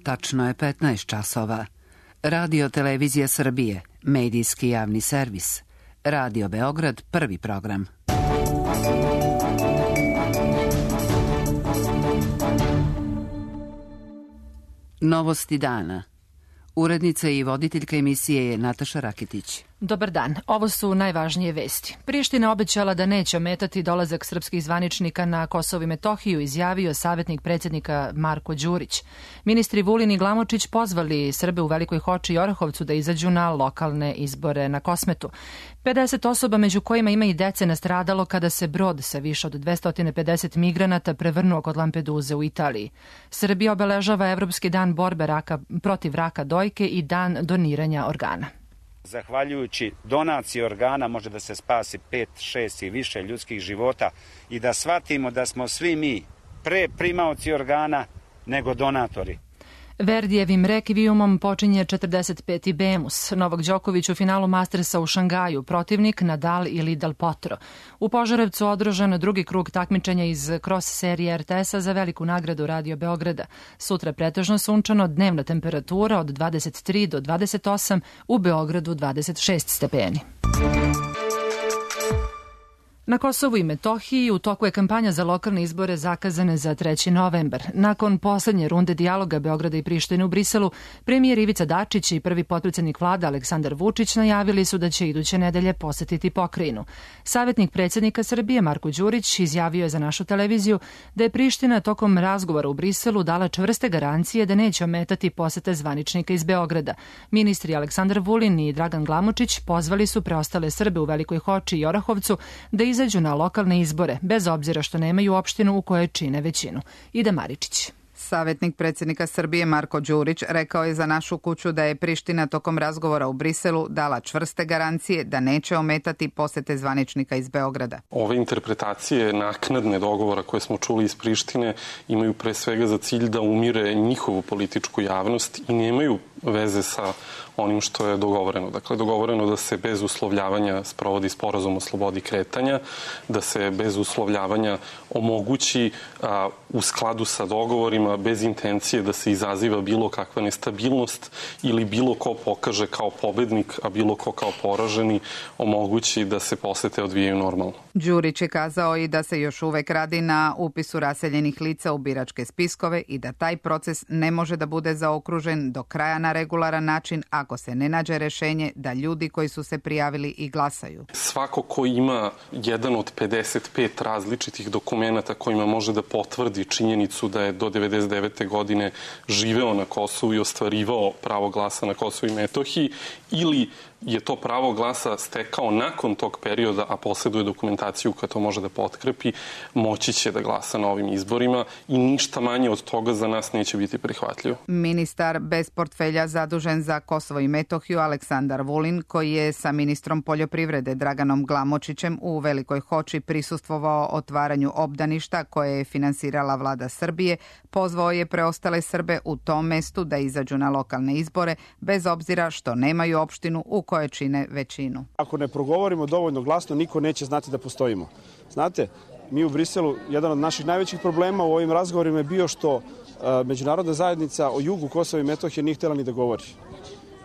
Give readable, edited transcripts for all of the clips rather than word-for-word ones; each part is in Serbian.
Tačno je 15 časova. Radio Televizija Srbije, medijski javni servis. Radio Beograd, prvi program. Novosti dana. Urednica i voditeljka emisije je Nataša Rakitić. Dobar dan, ovo su najvažnije vesti. Priština obećala da neće ometati dolazak srpskih zvaničnika na Kosovo i Metohiju, izjavio savjetnik predsjednika Marko Đurić. Ministri Vulin i Glamočić pozvali Srbe u Velikoj Hoči i Orahovcu da izađu na lokalne izbore na Kosmetu. 50 osoba, među kojima ima i dece, nastradalo kada se brod sa više od 250 migranata prevrnuo kod Lampeduze u Italiji. Srbija obeležava Evropski dan borbe protiv raka dojke i dan doniranja organa. Zahvaljujući donaciji organa može da se spasi 5, 6 i više ljudskih života i da shvatimo da smo svi mi pre primaoci organa nego donatori. Verdijevim rekvijumom počinje 45. Bemus. Novak Đoković u finalu Mastersa u Šangaju, protivnik Nadal ili Del Potro. U Požarevcu održan drugi krug takmičenja iz cross serije RTS-a za veliku nagradu Radio Beograda. Sutra pretežno sunčano, dnevna temperatura od 23 do 28, u Beogradu 26 stepeni. Na Kosovu i Metohiji u toku je kampanja za lokalne izbore zakazane za 3. novembar. Nakon poslednje runde dijaloga Beograda i Prištine u Briselu, premijer Ivica Dačić i prvi potpredsjednik vlade Aleksandar Vučić najavili su da će iduće nedelje posetiti pokrajinu. Savjetnik predsjednika Srbije Marko Đurić izjavio je za našu televiziju da je Priština tokom razgovora u Briselu dala čvrste garancije da neće ometati posete zvaničnika iz Beograda. Ministri Aleksandar Vulin i Dragan Glamočić pozvali su preostale Srbe u Velikoj Hoči i Orahovcu da izađu na lokalne izbore, bez obzira što nemaju opštinu u kojoj čine većinu. Ida Maričić. Savjetnik predsjednika Srbije Marko Đurić rekao je za našu kuću da je Priština tokom razgovora u Briselu dala čvrste garancije da neće ometati posete zvaničnika iz Beograda. Ove interpretacije naknadne dogovora koje smo čuli iz Prištine imaju pre svega za cilj da umire njihovu političku javnost i nemaju veze sa onim što je dogovoreno. Dakle, dogovoreno da se bez uslovljavanja sprovodi sporazum o slobodi kretanja, da se bez uslovljavanja omogući u skladu sa dogovorima, bez intencije da se izaziva bilo kakva nestabilnost ili bilo ko pokaže kao pobednik, a bilo ko kao poraženi, omogući da se posete odvijaju normalno. Đurić je kazao i da se još uvek radi na upisu raseljenih lica u biračke spiskove i da taj proces ne može da bude zaokružen do kraja na regularan način ako se ne nađe rešenje da ljudi koji su se prijavili i glasaju. Svako ko ima jedan od 55 različitih dokumenata kojima može da potvrdi činjenicu da je do 99. godine živeo na Kosovu i ostvarivao pravo glasa na Kosovu i Metohiji ili je to pravo glasa stekao nakon tog perioda, a posjeduje dokumentaciju koja to može da potkrepi, moći će da glasa na ovim izborima i ništa manje od toga za nas neće biti prihvatljivo. Ministar bez portfelja zadužen za Kosovo i Metohiju Aleksandar Vulin, koji je sa ministrom poljoprivrede Draganom Glamočićem u Velikoj Hoči prisustvovao otvaranju obdaništa koje je finansirala vlada Srbije, pozvao je preostale Srbe u tom mestu da izađu na lokalne izbore, bez obzira što nemaju opštinu u koje čine većinu. Ako ne progovorimo dovoljno glasno, niko neće znati da postojimo. Znate, mi u Briselu, jedan od naših najvećih problema u ovim razgovorima je bio što međunarodna zajednica o jugu Kosova i Metohije nije htjela ni da govori.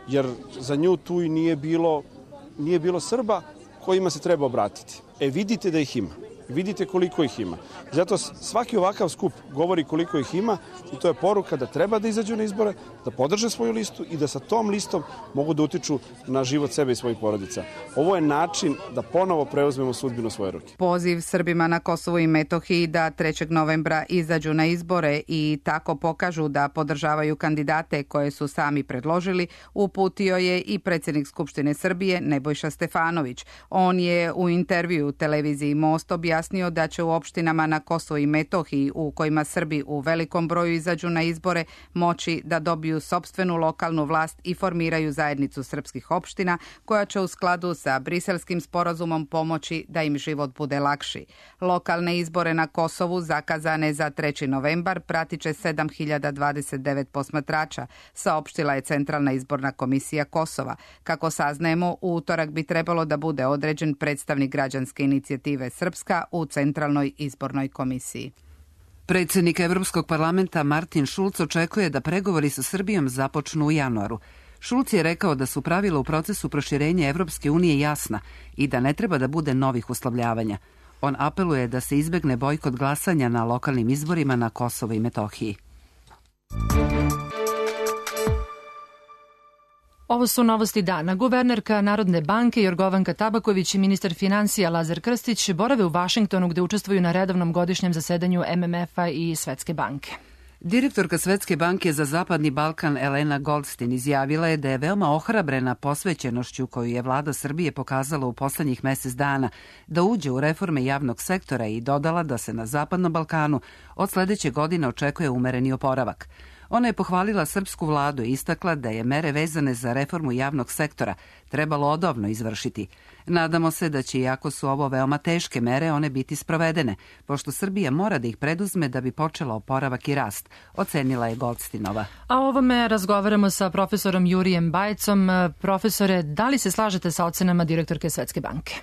Jer za nju tu i nije bilo Srba kojima se treba obratiti. Vidite da ih ima. Vidite koliko ih ima. Zato svaki ovakav skup govori koliko ih ima i to je poruka da treba da izađu na izbore, da podrže svoju listu i da sa tom listom mogu da utiču na život sebe i svojih porodica. Ovo je način da ponovo preuzmemo sudbinu svoje ruke. Poziv Srbima na Kosovu i Metohiji da 3. novembra izađu na izbore i tako pokažu da podržavaju kandidate koje su sami predložili, uputio je i predsjednik Skupštine Srbije Nebojša Stefanović. On je u intervju televiziji Most objasnio da će u opštinama na Kosovu i Metohiji u kojima Srbi u velikom broju izađu na izbore moći da dobiju sopstvenu lokalnu vlast i formiraju zajednicu srpskih opština koja će u skladu sa Briselskim sporazumom pomoći da im život bude lakši. Lokalne izbore na Kosovu zakazane za 3. novembar pratit će 7029 posmatrača, saopštila je Centralna izborna komisija Kosova. Kako saznajemo, u utorak bi trebalo da bude određen predstavnik građanske inicijative Srpska u Centralnoj izbornoj komisiji. Predsjednik Evropskog parlamenta Martin Schulz očekuje da pregovori sa Srbijom započnu u januaru. Schulz je rekao da su pravila u procesu proširenja Evropske unije jasna i da ne treba da bude novih uslovljavanja. On apeluje da se izbegne bojkot glasanja na lokalnim izborima na Kosovu i Metohiji. Ovo su novosti dana. Guvernerka Narodne banke Jorgovanka Tabaković i ministar finansija Lazar Krstić borave u Vašingtonu gde učestvuju na redovnom godišnjem zasedanju MMF-a i Svetske banke. Direktorka Svetske banke za Zapadni Balkan Elena Goldstein izjavila je da je veoma ohrabrena posvećenošću koju je vlada Srbije pokazala u poslednjih mesec dana da uđe u reforme javnog sektora i dodala da se na Zapadnom Balkanu od sledeće godine očekuje umereni oporavak. Ona je pohvalila srpsku vladu i istakla da je mere vezane za reformu javnog sektora trebalo odavno izvršiti. Nadamo se da će, iako su ovo veoma teške mere, one biti sprovedene, pošto Srbija mora da ih preduzme da bi počela oporavak i rast, ocenila je Goldsteinova. A o ovome razgovaramo sa profesorom Jurijem Bajcom. Profesore, da li se slažete sa ocenama direktorke Svetske banke?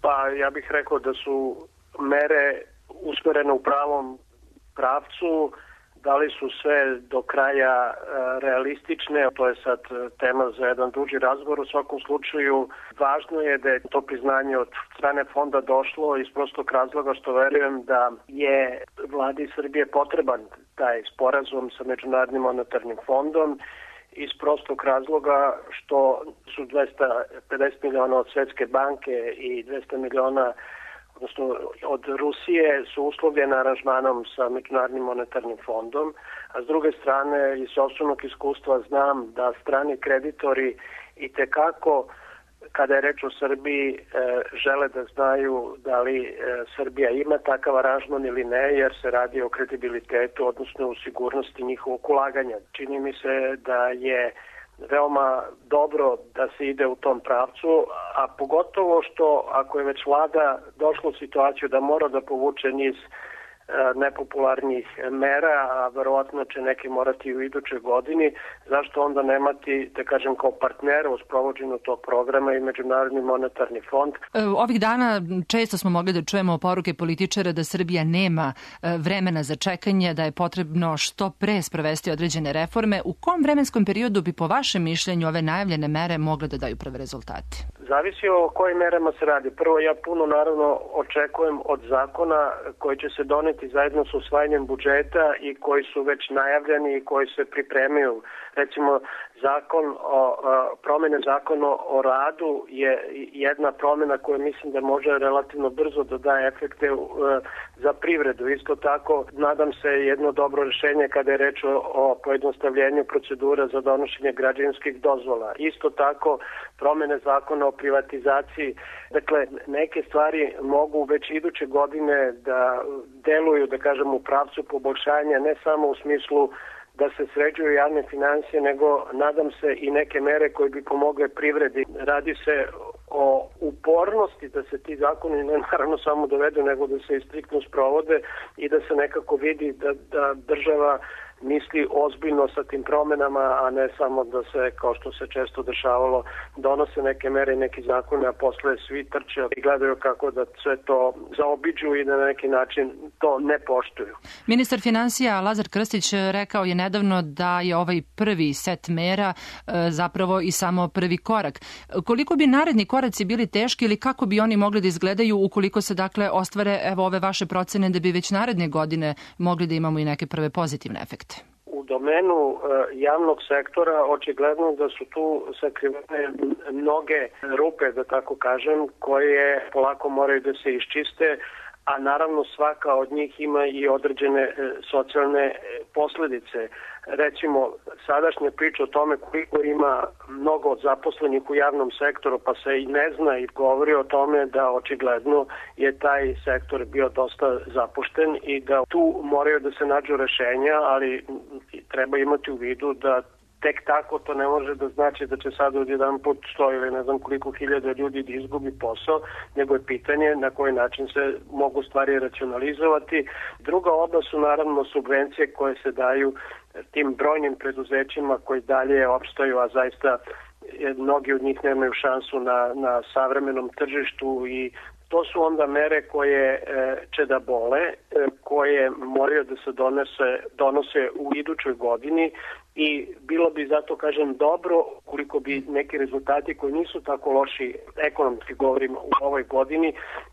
Pa ja bih rekao da su mere usmerene u pravom pravcu. Da li su sve do kraja realistične, to je sad tema za jedan duži razgovor. U svakom slučaju važno je da je to priznanje od strane fonda došlo iz prostog razloga što verujem da je vladi Srbije potreban taj sporazum sa Međunarodnim monetarnim fondom iz prostog razloga što su 250 miliona od Svetske banke i 200 miliona odnosno od Rusije su uslovljene aranžmanom sa Međunarodnim monetarnim fondom, a s druge strane iz sopstvenog iskustva znam da strani kreditori itekako, kada je reč o Srbiji, žele da znaju da li Srbija ima takav aranžman ili ne, jer se radi o kredibilitetu, odnosno o sigurnosti njihovog ulaganja. Čini mi se da je veoma dobro da se ide u tom pravcu, a pogotovo što ako je već vlada došla u situaciju da mora da povuče niz nepopularnih mera, a verovatno će neke morati u idućoj godini, zašto onda nemati, da kažem, kao partnera u sprovođenju tog programa i Međunarodni monetarni fond. Ovih dana često smo mogli da čujemo poruke političara da Srbija nema vremena za čekanje, da je potrebno što pre sprovesti određene reforme. U kom vremenskom periodu bi po vašem mišljenju ove najavljene mere mogle da daju prve rezultate? Zavisi o kojim merama se radi. Prvo, ja puno naravno očekujem od zakona koji će se doneti zajedno s usvajanjem budžeta i koji su već najavljeni i koji se pripremaju. Recimo, promene zakona o radu je jedna promena koja mislim da može relativno brzo da daje efekte za privredu. Isto tako, nadam se jedno dobro rešenje kada je reč o pojednostavljenju procedura za donošenje građevinskih dozvola. Isto tako, promene zakona o privatizaciji. Dakle, neke stvari mogu već iduće godine da deluju, da kažem, u pravcu poboljšanja, ne samo u smislu da se sređuju javne finansije, nego nadam se i neke mere koje bi pomogle privredi. Radi se o upornosti da se ti zakoni ne naravno samo dovedu, nego da se i striktno sprovode i da se nekako vidi da država misli ozbiljno sa tim promenama, a ne samo da se, kao što se često dešavalo, donose neke mere i neki zakone, a posle svi trče i gledaju kako da sve to zaobiđu i da na neki način to ne poštuju. Ministar finansija Lazar Krstić rekao je nedavno da je ovaj prvi set mera zapravo i samo prvi korak. Koliko bi naredni koraci bili teški ili kako bi oni mogli da izgledaju ukoliko se dakle ostvare ove vaše procene da bi već naredne godine mogli da imamo i neke prve pozitivne efekte? U domenu javnog sektora očigledno da su tu sakrivene mnoge rupe, da tako kažem, koje polako moraju da se iščiste, a naravno svaka od njih ima i određene socijalne posledice. Recimo, sadašnja priča o tome koliko ima mnogo zaposlenih u javnom sektoru, pa se i ne zna i govori o tome da očigledno je taj sektor bio dosta zapušten i da tu moraju da se nađu rešenja, ali treba imati u vidu da tek tako to ne može da znači da će sad odjedan put 100 ili ne znam koliko hiljada ljudi da izgubi posao, nego je pitanje na koji način se mogu stvari racionalizovati. Druga oblast su naravno subvencije koje se daju tim brojnim preduzećima koji dalje opstaju, a zaista mnogi od njih nemaju šansu na savremenom tržištu i to su onda mere koje će da bole, koje moraju da se donose u idućoj godini i bilo bi zato, kažem, dobro koliko bi neki rezultati koji nisu tako loši, ekonomski govorimo, u ovoj godini,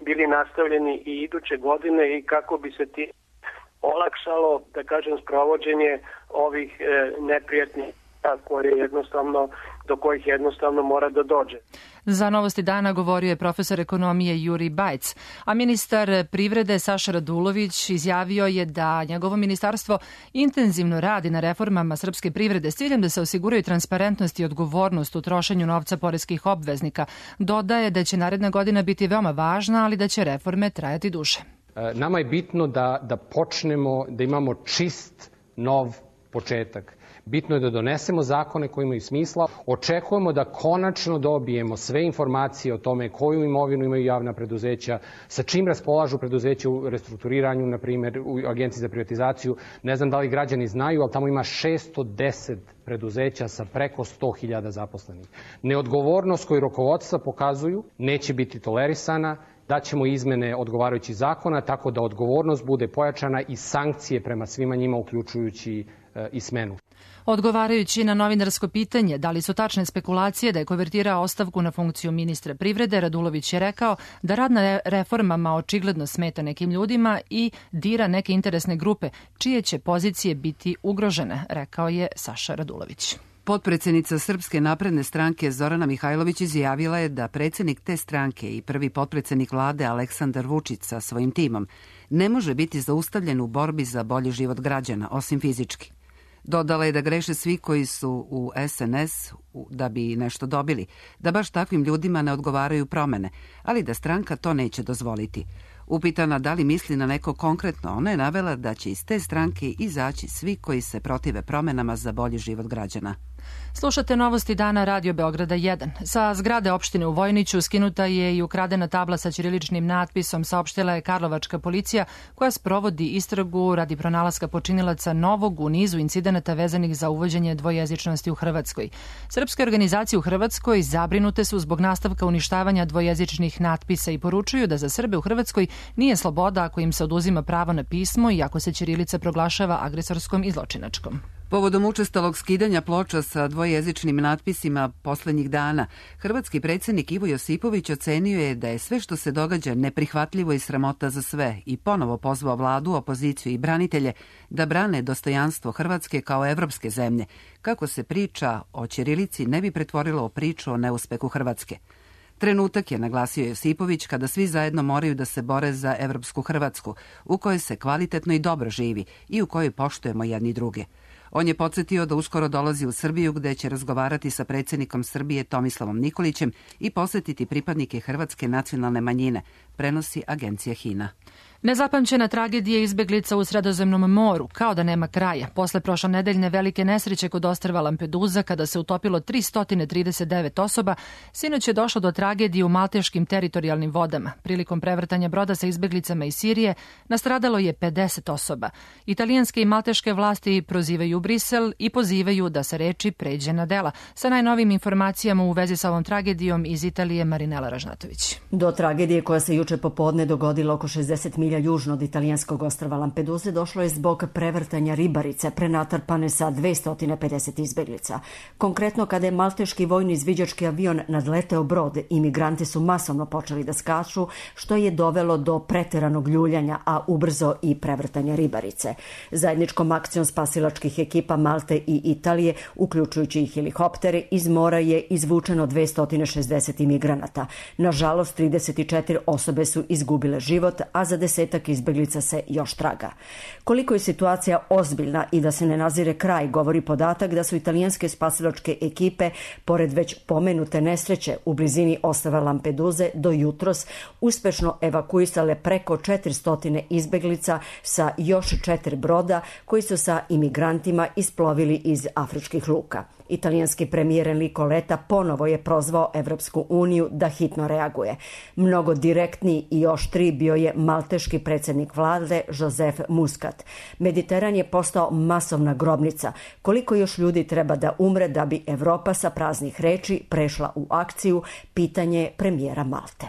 bili nastavljeni i iduće godine i kako bi se ti olakšalo, da kažem, sprovođenje ovih neprijatnih do kojih jednostavno mora da dođe. Za Novosti dana govorio je profesor ekonomije Juri Bajc, a ministar privrede Saša Radulović izjavio je da njegovo ministarstvo intenzivno radi na reformama srpske privrede s ciljem da se osiguraju transparentnost i odgovornost u trošenju novca poreskih obveznika. Dodaje da će naredna godina biti veoma važna, ali da će reforme trajati duže. Nama je bitno da počnemo, da imamo čist, nov početak. Bitno je da donesemo zakone koji imaju smisla. Očekujemo da konačno dobijemo sve informacije o tome koju imovinu imaju javna preduzeća, sa čim raspolažu preduzeća u restrukturiranju, na primjer u Agenciji za privatizaciju. Ne znam da li građani znaju, ali tamo ima 610 preduzeća sa preko 100.000 zaposlenih. Neodgovornost koju rukovodstva pokazuju neće biti tolerisana. Daćemo izmene odgovarajućih zakona tako da odgovornost bude pojačana i sankcije prema svima njima, uključujući i smenu. Odgovarajući na novinarsko pitanje da li su tačne spekulacije da je konvertirao ostavku na funkciju ministra privrede, Radulović je rekao da rad na reformama očigledno smeta nekim ljudima i dira neke interesne grupe, čije će pozicije biti ugrožene, rekao je Saša Radulović. Potpredsednica Srpske napredne stranke Zorana Mihajlović izjavila je da predsjednik te stranke i prvi potpredsednik vlade Aleksandar Vučić sa svojim timom ne može biti zaustavljen u borbi za bolji život građana, osim fizički. Dodala je da greše svi koji su u SNS da bi nešto dobili, da baš takvim ljudima ne odgovaraju promene, ali da stranka to neće dozvoliti. Upitana da li misli na neko konkretno, ona je navela da će iz te stranke izaći svi koji se protive promenama za bolji život građana. Slušate Novosti dana Radio Beograda 1. Sa zgrade opštine u Vojniću skinuta je i ukradena tabla sa ćiriličnim natpisom, saopštila je karlovačka policija koja sprovodi istragu radi pronalaska počinilaca novog u nizu incidenata vezanih za uvođenje dvojezičnosti u Hrvatskoj. Srpske organizacije u Hrvatskoj zabrinute su zbog nastavka uništavanja dvojezičnih natpisa i poručuju da za Srbe u Hrvatskoj nije sloboda ako im se oduzima pravo na pismo i ako se ćirilica proglašava agresorskom i zločinačkom. Povodom učestalog skidanja ploča sa dvojezičnim natpisima poslednjih dana, hrvatski predsjednik Ivo Josipović ocenio je da je sve što se događa neprihvatljivo i sramota za sve i ponovo pozvao vladu, opoziciju i branitelje da brane dostojanstvo Hrvatske kao evropske zemlje, kako se priča o ćirilici ne bi pretvorila u priču o neuspehu Hrvatske. Trenutak je, naglasio Josipović, kada svi zajedno moraju da se bore za evropsku Hrvatsku, u kojoj se kvalitetno i dobro živi i u kojoj poštujemo jedni druge. On je podsjetio da uskoro dolazi u Srbiju gde će razgovarati sa predsjednikom Srbije Tomislavom Nikolićem i posjetiti pripadnike hrvatske nacionalne manjine, prenosi agencija HINA. Nezapamćena tragedija izbeglica u Sredozemnom moru, kao da nema kraja. Posle prošlonedeljne velike nesreće kod ostrva Lampedusa, kada se utopilo 339 osoba, sinoć je došlo do tragedije u malteškim teritorijalnim vodama. Prilikom prevrtanja broda sa izbeglicama iz Sirije nastradalo je 50 osoba. Italijanske i malteške vlasti prozivaju Brisel i pozivaju da se reči pređe na dela. Sa najnovim informacijama u vezi sa ovom tragedijom iz Italije, Marinela Ražnatović. Do tragedije koja se juče popodne dogodila oko 60 milja južno od italijanskog ostrva Lampeduse došlo je zbog prevrtanja ribarice prenatrpane sa 250 izbeglica. Konkretno, kada je malteški vojni izviđački avion nadleteo brod, imigranti su masovno počeli da skaču, što je dovelo do preteranog ljuljanja, a ubrzo i prevrtanja ribarice. Zajedničkom akcijom spasilačkih ekipa Malte i Italije, uključujući i helikoptere, iz mora je izvučeno 260 imigranata. Nažalost, 34 osobe su izgubile život, a za 10 izbeglica se još traga. Koliko je situacija ozbiljna i da se ne nazire kraj, govori podatak da su italijanske spasilačke ekipe, pored već pomenute nesreće u blizini ostrva Lampeduze, do jutros uspešno evakuisale preko 400 izbeglica sa još 4 broda koji su sa imigrantima isplovili iz afričkih luka. Italijanski premijer Enrico Letta ponovo je prozvao Evropsku uniju da hitno reaguje. Mnogo direktniji i oštriji bio je malteški predsjednik vlade Joseph Muscat. Mediteran je postao masovna grobnica. Koliko još ljudi treba da umre da bi Evropa sa praznih reči prešla u akciju, pitanje premijera Malte.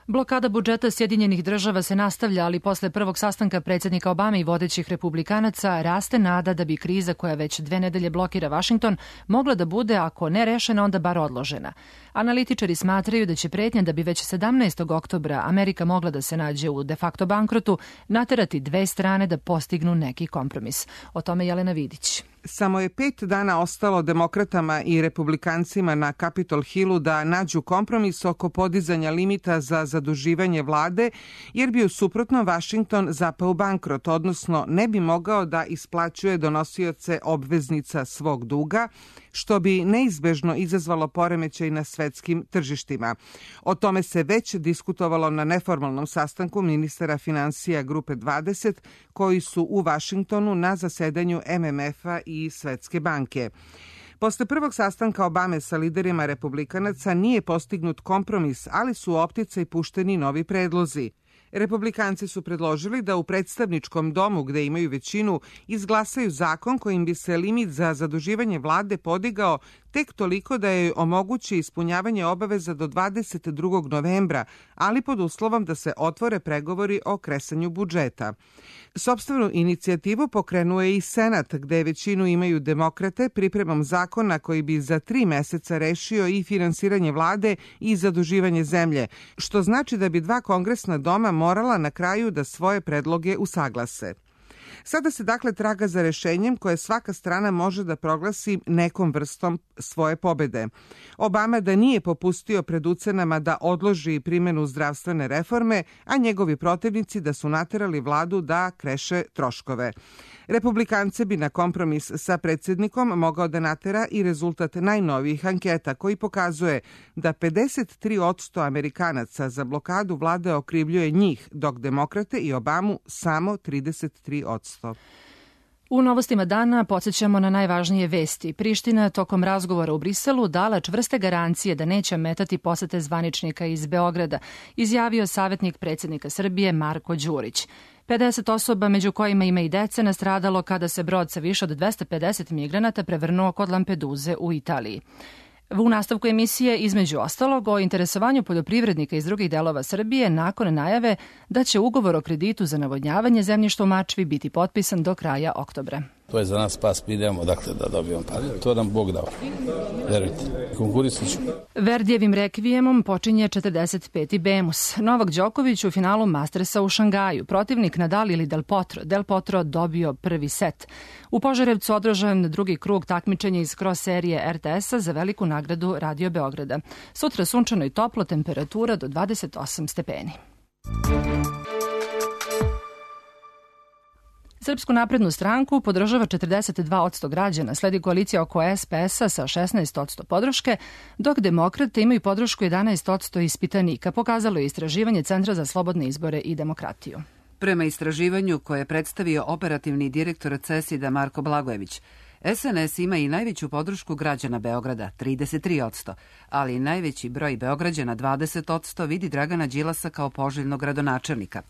Blokada budžeta Sjedinjenih država se nastavlja, ali posle prvog sastanka predsjednika Obame i vodećih republikanaca raste nada da bi kriza koja već 2 nedelje blokira Vašington mogla da bude, ako ne rešena, onda bar odložena. Analitičari smatraju da će pretnja da bi već 17. oktobra Amerika mogla da se nađe u de facto bankrotu naterati dve strane da postignu neki kompromis. O tome Jelena Vidić. Samo je 5 dana ostalo demokratama i republikancima na Capitol Hillu da nađu kompromis oko podizanja limita za zaduživanje vlade, jer bi u suprotnom Vašington zapao u bankrot, odnosno ne bi mogao da isplaćuje donosioce obveznica svog duga, što bi neizbežno izazvalo poremećaj na svetskim tržištima. O tome se već diskutovalo na neformalnom sastanku ministara finansija Grupe 20, koji su u Vašingtonu na zasedanju MMF-a i Svetske banke. Posle prvog sastanka Obame sa liderima republikanaca nije postignut kompromis, ali su u opticaj pušteni novi predlozi. Republikanci su predložili da u predstavničkom domu, gde imaju većinu, izglasaju zakon kojim bi se limit za zaduživanje vlade podigao tek toliko da joj omogući ispunjavanje obaveza do 22. novembra, ali pod uslovom da se otvore pregovori o kresanju budžeta. Sopstvenu inicijativu pokrenuo je i Senat, gde većinu imaju demokrate, pripremom zakona koji bi za 3 meseca rešio i finansiranje vlade i zaduživanje zemlje, što znači da bi 2 kongresna doma morala na kraju da svoje predloge usaglase. Sada se dakle traga za rešenjem koje svaka strana može da proglasi nekom vrstom svoje pobede. Obama da nije popustio pred ucenama da odloži primjenu zdravstvene reforme, a njegovi protivnici da su naterali vladu da kreše troškove. Republikance bi na kompromis sa predsjednikom mogao da natera i rezultat najnovijih anketa koji pokazuje da 53% Amerikanaca za blokadu vlade okrivljuje njih, dok demokrate i Obamu samo 33%. U novostima dana podsjećamo na najvažnije vesti. Priština tokom razgovora u Briselu dala čvrste garancije da neće ometati posete zvaničnika iz Beograda, izjavio savjetnik predsjednika Srbije Marko Đurić. 50 osoba, među kojima ima i dece, nastradalo kada se brod sa više od 250 migranata prevrnuo kod Lampeduze u Italiji. U nastavku emisije, između ostalog, o interesovanju poljoprivrednika iz drugih delova Srbije nakon najave da će ugovor o kreditu za navodnjavanje zemljišta u Mačvi biti potpisan do kraja oktobra. To je za nas spas, idemo dakle da dobijemo pare. To nam Bog dao. Verujte, konkurisat ću. Verdijevim rekvijemom počinje 45. Bemus. Novak Đoković u finalu Mastersa u Šangaju. Protivnik Nadal ili Del Potro. Del Potro dobio prvi set. U Požarevcu održan drugi krug takmičenja iz cross serije RTS-a za veliku nagradu Radio Beograda. Sutra sunčano i toplo, temperatura do 28 stepeni. Srpsku naprednu stranku podržava 42% građana, sledi koalicija oko SPS-a sa 16% podrške, dok demokrate imaju podršku 11% ispitanika, pokazalo je istraživanje Centra za slobodne izbore i demokratiju. Prema istraživanju koje je predstavio operativni direktor CESID-a Marko Blagojević, SNS ima i najveću podršku građana Beograda, 33%, ali i najveći broj Beograđana, 20%, vidi Dragana Đilasa kao poželjnog gradonačelnika.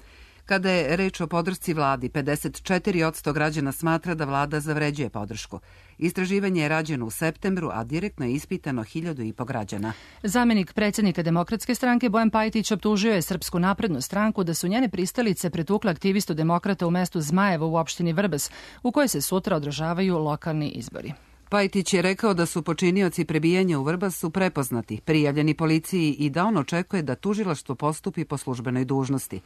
Kada je reč o podršci vladi, 54% građana smatra da vlada zavređuje podršku. Istraživanje je rađeno u septembru, a direktno je ispitano 1.500 građana. Zamenik predsjednika Demokratske stranke Bojan Pajtić optužio je Srpsku naprednu stranku da su njene pristalice pretukle aktivistu demokrata u mestu Zmajevo u opštini Vrbas, u kojoj se sutra održavaju lokalni izbori. Pajtić je rekao da su počinioci prebijanja u Vrbasu prepoznati, prijavljeni policiji i da on očekuje da tužilaštvo postupi po službenoj dužnosti.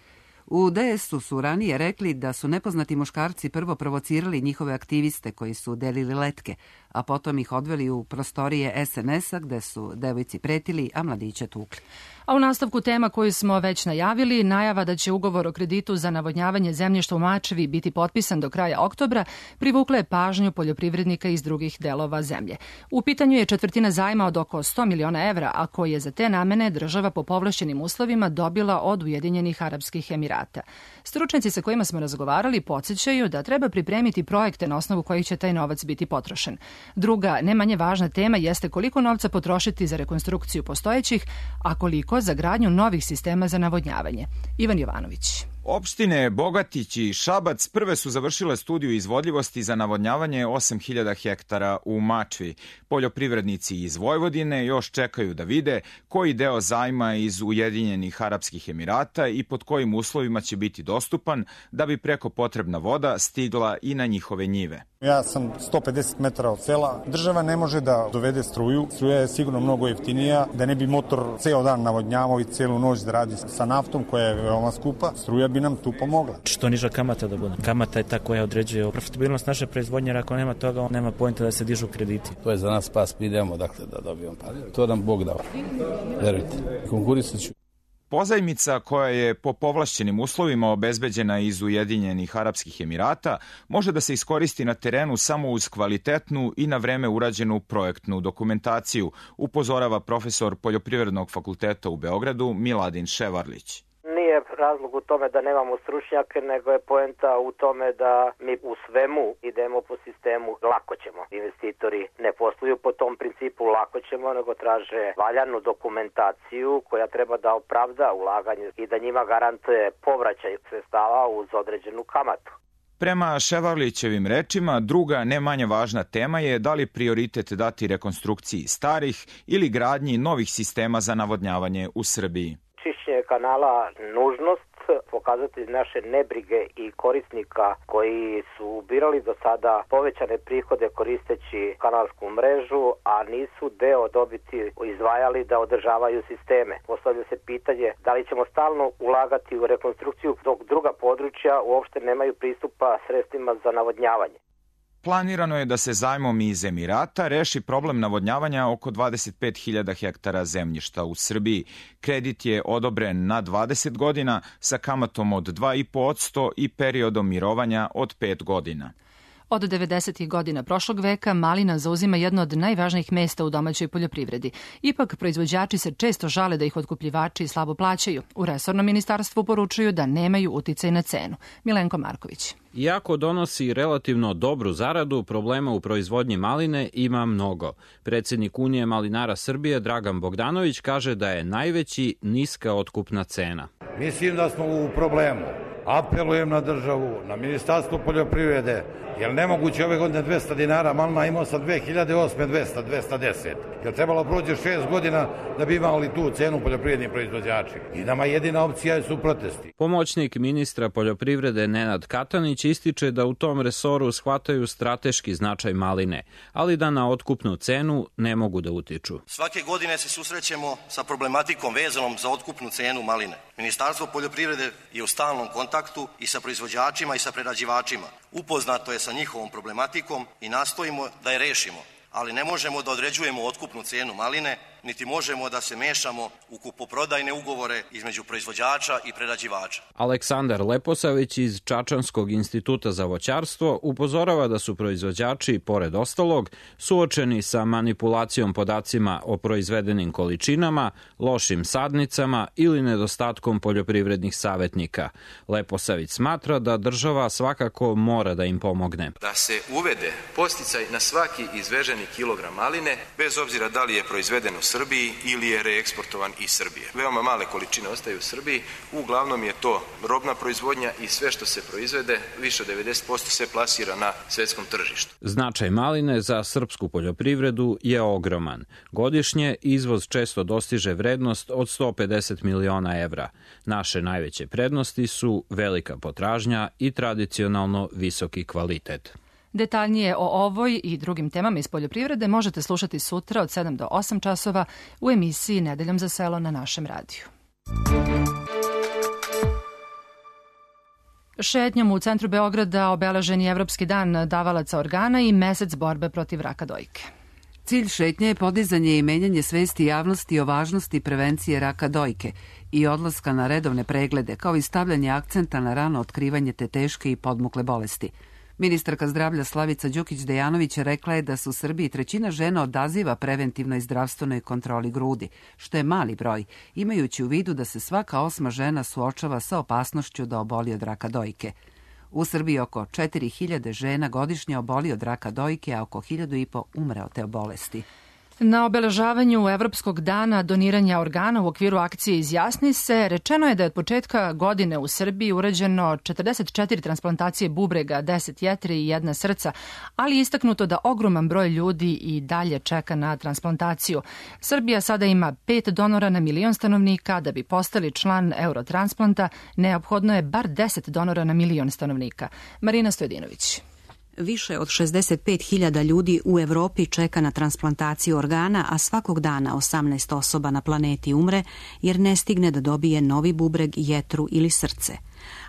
U DS-u su ranije rekli da su nepoznati muškarci prvo provocirali njihove aktiviste koji su delili letke, a potom ih odveli u prostorije SNS-a gde su devojci pretili, a mladiće tukli. A u nastavku tema koju smo već najavili, najava da će ugovor o kreditu za navodnjavanje zemljišta u Mačvi biti potpisan do kraja oktobra, privukla je pažnju poljoprivrednika iz drugih delova zemlje. U pitanju je četvrtina zajma od oko 100 miliona evra, a koji je za te namene država po povlašćenim uslovima dobila od Ujedinjenih Arapskih Emirata. Stručnjaci sa kojima smo razgovarali podsjećaju da treba pripremiti projekte na osnovu kojih će taj novac biti potrošen. Druga, ne manje važna tema jeste koliko novca potrošiti za rekonstrukciju postojećih, a koliko za gradnju novih sistema za navodnjavanje. Ivan Jovanović. Opštine Bogatić i Šabac prve su završile studiju izvodljivosti za navodnjavanje 8000 hektara u Mačvi. Poljoprivrednici iz Vojvodine još čekaju da vide koji deo zajma iz Ujedinjenih Arapskih Emirata i pod kojim uslovima će biti dostupan da bi preko potrebna voda stigla i na njihove njive. Ja sam 150 metara od sela. Država ne može da dovede struju. Struja je sigurno mnogo jeftinija. Da ne bi motor ceo dan navodnjavao i celu noć da radi sa naftom koja je veoma skupa, struja bi nam tu pomogla. Što niža kamata da bude. Kamata je ta koja određuje profitabilnost naše proizvodnje, jer ako nema toga, nema poenta da se dižu krediti. To je za nas spas, idemo dakle da dobijemo pare. To nam Bog dao. Verujte, konkurisat ću. Pozajmica koja je po povlašćenim uslovima obezbeđena iz Ujedinjenih Arapskih Emirata može da se iskoristi na terenu samo uz kvalitetnu i na vreme urađenu projektnu dokumentaciju, upozorava profesor Poljoprivrednog fakulteta u Beogradu Miladin Ševarlić. Nije razlog u tome da nemamo stručnjake, nego je poenta u tome da mi u svemu idemo po sistemu lako ćemo. Investitori ne posluju po tom principu lako ćemo, nego traže valjanu dokumentaciju koja treba da opravda ulaganje i da njima garantuje povraćaj sredstava uz određenu kamatu. Prema Ševarlićevim rečima, druga ne manje važna tema je da li prioritet dati rekonstrukciji starih ili gradnji novih sistema za navodnjavanje u Srbiji. Čišćenje kanala nužnost, pokazatelj naše nebrige i korisnika koji su birali do sada povećane prihode koristeći kanalsku mrežu, a nisu deo dobiti izdvajali da održavaju sisteme. Postavlja se pitanje da li ćemo stalno ulagati u rekonstrukciju dok druga područja uopšte nemaju pristupa sredstvima za navodnjavanje. Planirano je da se zajmom iz Emirata reši problem navodnjavanja oko 25.000 hektara zemljišta u Srbiji. Kredit je odobren na 20 godina sa kamatom od 2,5% i periodom mirovanja od 5 godina. Od 90. godina prošlog veka malina zauzima jedno od najvažnijih mesta u domaćoj poljoprivredi. Ipak, proizvođači se često žale da ih otkupljivači slabo plaćaju. U resornom ministarstvu poručuju da nemaju uticaj na cenu. Milenko Marković. Iako donosi relativno dobru zaradu, problema u proizvodnji maline ima mnogo. Predsjednik Unije malinara Srbije Dragan Bogdanović kaže da je najveći niska otkupna cena. Mislim da smo u problemu. Apelujem na državu, na Ministarstvo poljoprivrede, jer nemoguće ove godine 200 dinara, malina imao sam 2008. 210. Jer trebalo prođe 6 godina da bi imali tu cenu poljoprivredni proizvođači. I nama jedina opcija su protesti. Pomoćnik ministra poljoprivrede Nenad Katanić ističe da u tom resoru shvataju strateški značaj maline, ali da na otkupnu cenu ne mogu da utiču. Svake godine se susrećemo sa problematikom vezanom za otkupnu cenu maline. Ministarstvo poljoprivrede je u stalnom kontaktu i sa proizvođačima i sa prerađivačima. Upoznato je sa njihovom problematikom i nastojimo da je rešimo, ali ne možemo da određujemo otkupnu cenu maline, niti možemo da se mešamo u kupoprodajne ugovore između proizvođača i prerađivača. Aleksandar Leposavić iz Čačanskog instituta za voćarstvo upozorava da su proizvođači, pored ostalog, suočeni sa manipulacijom podacima o proizvedenim količinama, lošim sadnicama ili nedostatkom poljoprivrednih savetnika. Leposavić smatra da država svakako mora da im pomogne. Da se uvede podsticaj na svaki izveženi kilogram maline, bez obzira da li je proizveden u Srbiji ili je reeksportovan iz Srbije. Veoma male količine ostaju u Srbiji, uglavnom je to robna proizvodnja i sve što se proizvede, više od 90% se plasira na svetskom tržištu. Značaj maline za srpsku poljoprivredu je ogroman. Godišnje izvoz često dostiže vrednost od 150 miliona evra. Naše najveće prednosti su velika potražnja i tradicionalno visoki kvalitet. Detaljnije o ovoj i drugim temama iz poljoprivrede možete slušati sutra od 7 do 8 časova u emisiji Nedeljom za selo na našem radiju. Šetnjom u centru Beograda obeležen je Evropski dan davalaca organa i mesec borbe protiv raka dojke. Cilj šetnje je podizanje i menjanje svesti javnosti o važnosti prevencije raka dojke i odlaska na redovne preglede, kao i stavljanje akcenta na rano otkrivanje te teške i podmukle bolesti. Ministarka zdravlja Slavica Đukić-Dejanović rekla je da se u Srbiji 1/3 žena odaziva preventivnoj zdravstvenoj kontroli grudi, što je mali broj, imajući u vidu da se svaka 8. žena suočava sa opasnošću da oboli od raka dojke. U Srbiji oko 4.000 žena godišnje oboli od raka dojke, a oko 1.500 umre od te bolesti. Na obeležavanju Evropskog dana doniranja organa u okviru akcije Izjasni se rečeno je da je od početka godine u Srbiji urađeno 44 transplantacije bubrega, 10 jetri i 1 srca, ali je istaknuto da ogroman broj ljudi i dalje čeka na transplantaciju. Srbija sada ima 5 donora na milion stanovnika. Da bi postali član Eurotransplanta, neophodno je bar 10 donora na milion stanovnika. Marina Stojedinović. Više od 65.000 ljudi u Evropi čeka na transplantaciju organa, a svakog dana 18 osoba na planeti umre jer ne stigne da dobije novi bubreg, jetru ili srce.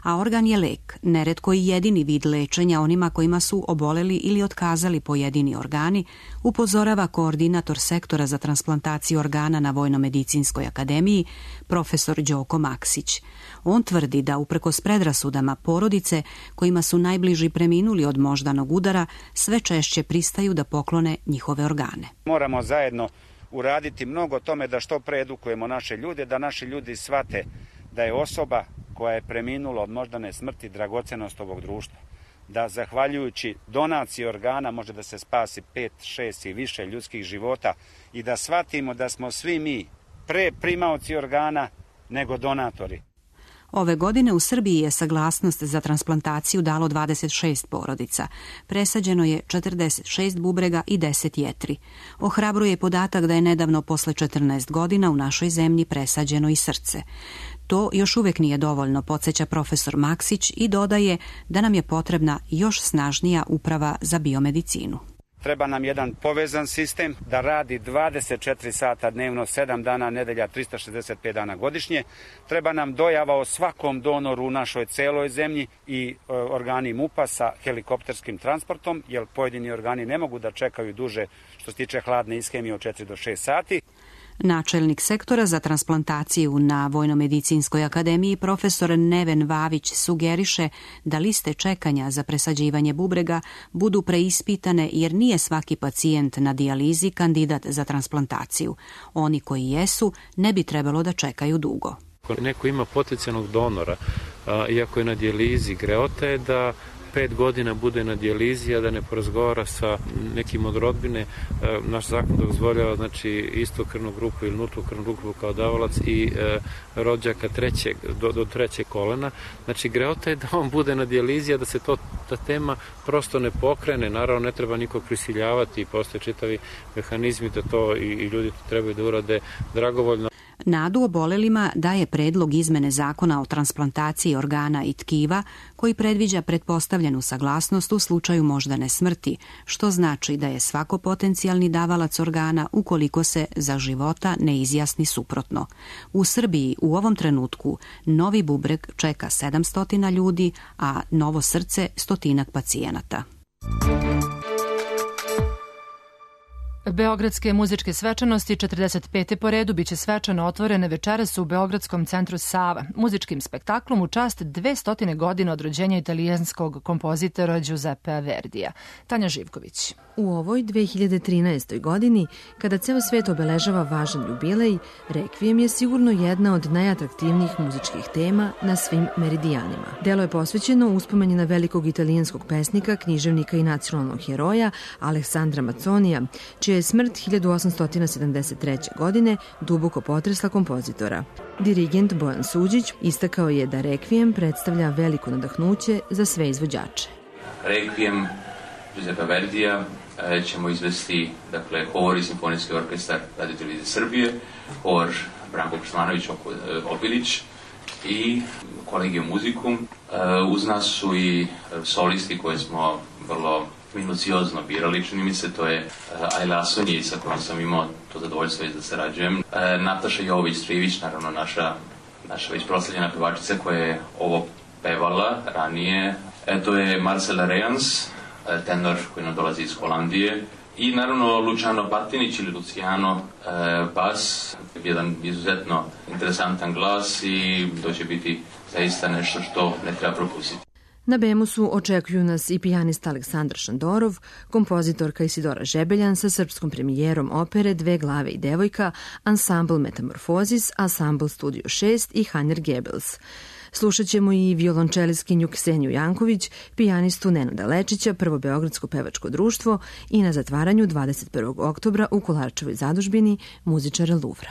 A organ je lek, neretko i jedini vid lečenja onima kojima su oboleli ili otkazali pojedini organi, upozorava koordinator sektora za transplantaciju organa na Vojnomedicinskoj akademiji, profesor Đoko Maksić. On tvrdi da uprkos predrasudama porodice kojima su najbliži preminuli od moždanog udara sve češće pristaju da poklone njihove organe. Moramo zajedno uraditi mnogo tome da što pre edukujemo naše ljude, da naši ljudi shvate da je osoba koja je preminula od moždane smrti dragocenost ovog društva. Da zahvaljujući donaciji organa može da se spasi 5, 6 i više ljudskih života i da shvatimo da smo svi mi pre primaoci organa nego donatori. Ove godine u Srbiji je saglasnost za transplantaciju dalo 26 porodica. Presađeno je 46 bubrega i 10 jetri. Ohrabruje podatak da je nedavno posle 14 godina u našoj zemlji presađeno i srce. To još uvek nije dovoljno, podsjeća profesor Maksić i dodaje da nam je potrebna još snažnija uprava za biomedicinu. Treba nam jedan povezan sistem da radi 24 sata dnevno, 7 dana nedelja, 365 dana godišnje. Treba nam dojava o svakom donoru u našoj celoj zemlji i organi MUP-a sa helikopterskim transportom, jer pojedini organi ne mogu da čekaju duže što se tiče hladne ishemije od 4 do 6 sati. Načelnik sektora za transplantaciju na Vojnomedicinskoj akademiji profesor Neven Vavić sugeriše da liste čekanja za presađivanje bubrega budu preispitane jer nije svaki pacijent na dijalizi kandidat za transplantaciju. Oni koji jesu ne bi trebalo da čekaju dugo. Ako neko ima potencijalnog donora, iako je na dijalizi, greota je da 5 godina bude na dijalizi, a da ne porazgovara sa nekim od rodbine. Naš zakon dozvoljava znači istu krvnu grupu ili nultu krvnu grupu kao davalac i rođaka do trećeg kolena. Znači greota je da on bude na dijalizi, a da se ta tema prosto ne pokrene. Naravno ne treba nikog prisiljavati, postoje čitavi mehanizmi da to i ljudi to trebaju da urade dragovoljno. Nadu obolelima daje predlog izmene zakona o transplantaciji organa i tkiva koji predviđa pretpostavljenu saglasnost u slučaju moždane smrti, što znači da je svako potencijalni davalac organa ukoliko se za života ne izjasni suprotno. U Srbiji u ovom trenutku novi bubreg čeka 700 ljudi, a novo srce 100 pacijenata. Beogradske muzičke svečanosti 45. po redu biće svečano otvorene večeras u Beogradskom centru Sava, muzičkim spektaklom u čast 200 godina od rođenja italijanskog kompozitora Giuseppea Verdija. Tanja Živković. U ovoj 2013. godini, kada ceo svet obeležava važan jubilej, Rekvijem je sigurno jedna od najatraktivnijih muzičkih tema na svim meridijanima. Delo je posvećeno uspomeni na velikog italijanskog pesnika, književnika i nacionalnog heroja Aleksandra Maconija, čija je smrt 1873. godine duboko potresla kompozitora. Dirigent Bojan Suđić istakao je da Rekvijem predstavlja veliko nadahnuće za sve izvođače. Rekvijem Giuseppe Verdija ćemo izvesti, dakle, Hor i Simfonijski orkestar Radio Televizije Srbije, Hor Branko Kršmanović Opilić i Kolegijum muzikum. Uz nas su i solisti koje smo vrlo minuciozno birali, čini mi se, to je Ajla Asonji, sa kojom sam imao to zadovoljstvo da sarađujem. Nataša Jovović-Trivić, naravno naša već proslavljena pevačica koja je ovo pevala ranije. To je Marcela Rejans, tenor koji nam dolazi iz Holandije. I naravno Luciano Patinić ili Luciano bas, jedan izuzetno interesantan glas i to će biti zaista nešto što ne treba propustiti. Na Bemusu očekuju nas i pijanista Aleksandar Šandorov, kompozitorka Isidora Žebeljan sa srpskom premijerom opere Dve glave i devojka, ansambl Metamorfozis, ansambl Studio 6 i Heiner Goebbels. Slušat ćemo i violončeliskinju Kseniju Janković, pijanistu Nenada Lečića, Prvo beogradsko pevačko društvo i na zatvaranju 21. oktobra u Kolarčevoj zadužbini muzičara Luvra.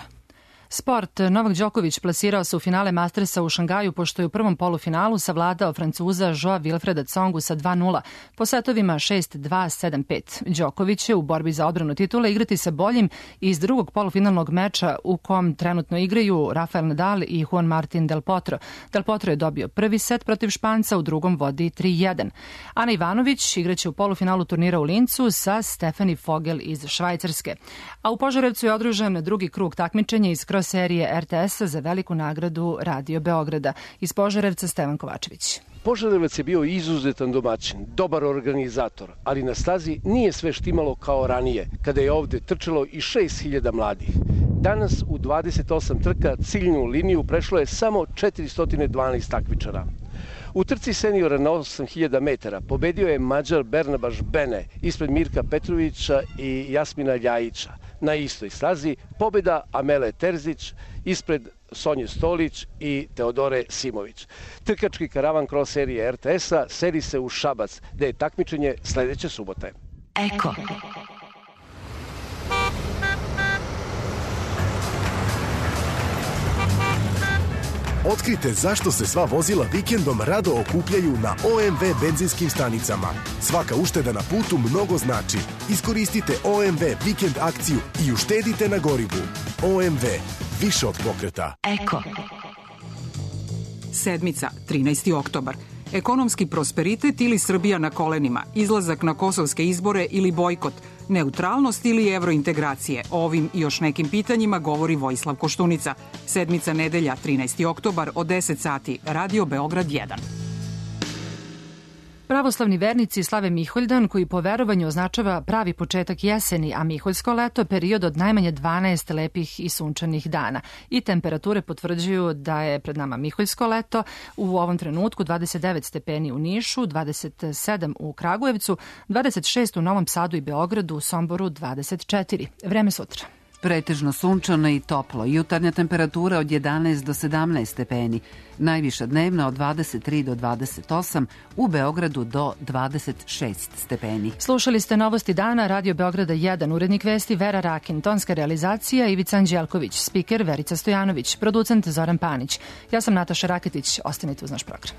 Sport. Novak Đoković plasirao se u finale Mastersa u Šangaju pošto je u prvom polufinalu savladao Francuza Joa Wilfreda Tsongu sa 2:0 po setovima 6-2, 7-5. Đoković će u borbi za odbranu titule igrati sa boljim iz drugog polufinalnog meča u kom trenutno igraju Rafael Nadal i Juan Martin Del Potro. Del Potro je dobio prvi set protiv Španca, u drugom vodi 3:1. Ana Ivanović igraće u polufinalu turnira u Lincu sa Stefani Fogel iz Švajcarske. A u Požarevcu je održan drugi krug takmičenja iz serije RTS-a za veliku nagradu Radio Beograda. Iz Požarevca Stevan Kovačević. Požarevac je bio izuzetan domaćin, dobar organizator, ali na stazi nije sve štimalo kao ranije, kada je ovde trčalo i 6.000 mladih. Danas u 28 trka ciljnu liniju prešlo je samo 412 takmičara. U trci seniora na 8000 metara pobedio je Mađar Bernabaš Bene ispred Mirka Petrovića i Jasmina Ljajića. Na istoj stazi pobeda Amele Terzić ispred Sonje Stolić i Teodore Simović. Trkački karavan cross serije RTS-a seli se u Šabac, gde je takmičenje sledeće subote. Eko. Otkrite zašto se sva vozila vikendom rado okupljaju na OMV benzinskim stanicama. Svaka ušteda na putu mnogo znači. Iskoristite OMV vikend akciju i uštedite na gorivu. OMV. Više od pokreta. Eko. Sedmica, 13. oktobar. Ekonomski prosperitet ili Srbija na kolenima, izlazak na kosovske izbore ili bojkot, neutralnost ili evrointegracije. O ovim i još nekim pitanjima govori Vojislav Koštunica. Sedmica, nedelja, 13. oktobar od 10 sati. Radio Beograd 1. Pravoslavni vernici slave Miholjdan, koji po verovanju označava pravi početak jeseni, a Miholjsko leto period od najmanje 12 lepih i sunčanih dana. I temperature potvrđuju da je pred nama Miholjsko leto, u ovom trenutku 29 stepeni u Nišu, 27 u Kragujevcu, 26 u Novom Sadu i Beogradu, u Somboru 24. Vreme sutra. Pretežno sunčano i toplo. Jutarnja temperatura od 11 do 17 stepeni. Najviša dnevna od 23 do 28, u Beogradu do 26 stepeni. Slušali ste novosti dana Radio Beograda 1, urednik vesti Vera Rakin, tonska realizacija Ivica Anđelković, spiker Verica Stojanović, producent Zoran Panić. Ja sam Nataša Raketić, ostanite uz naš program.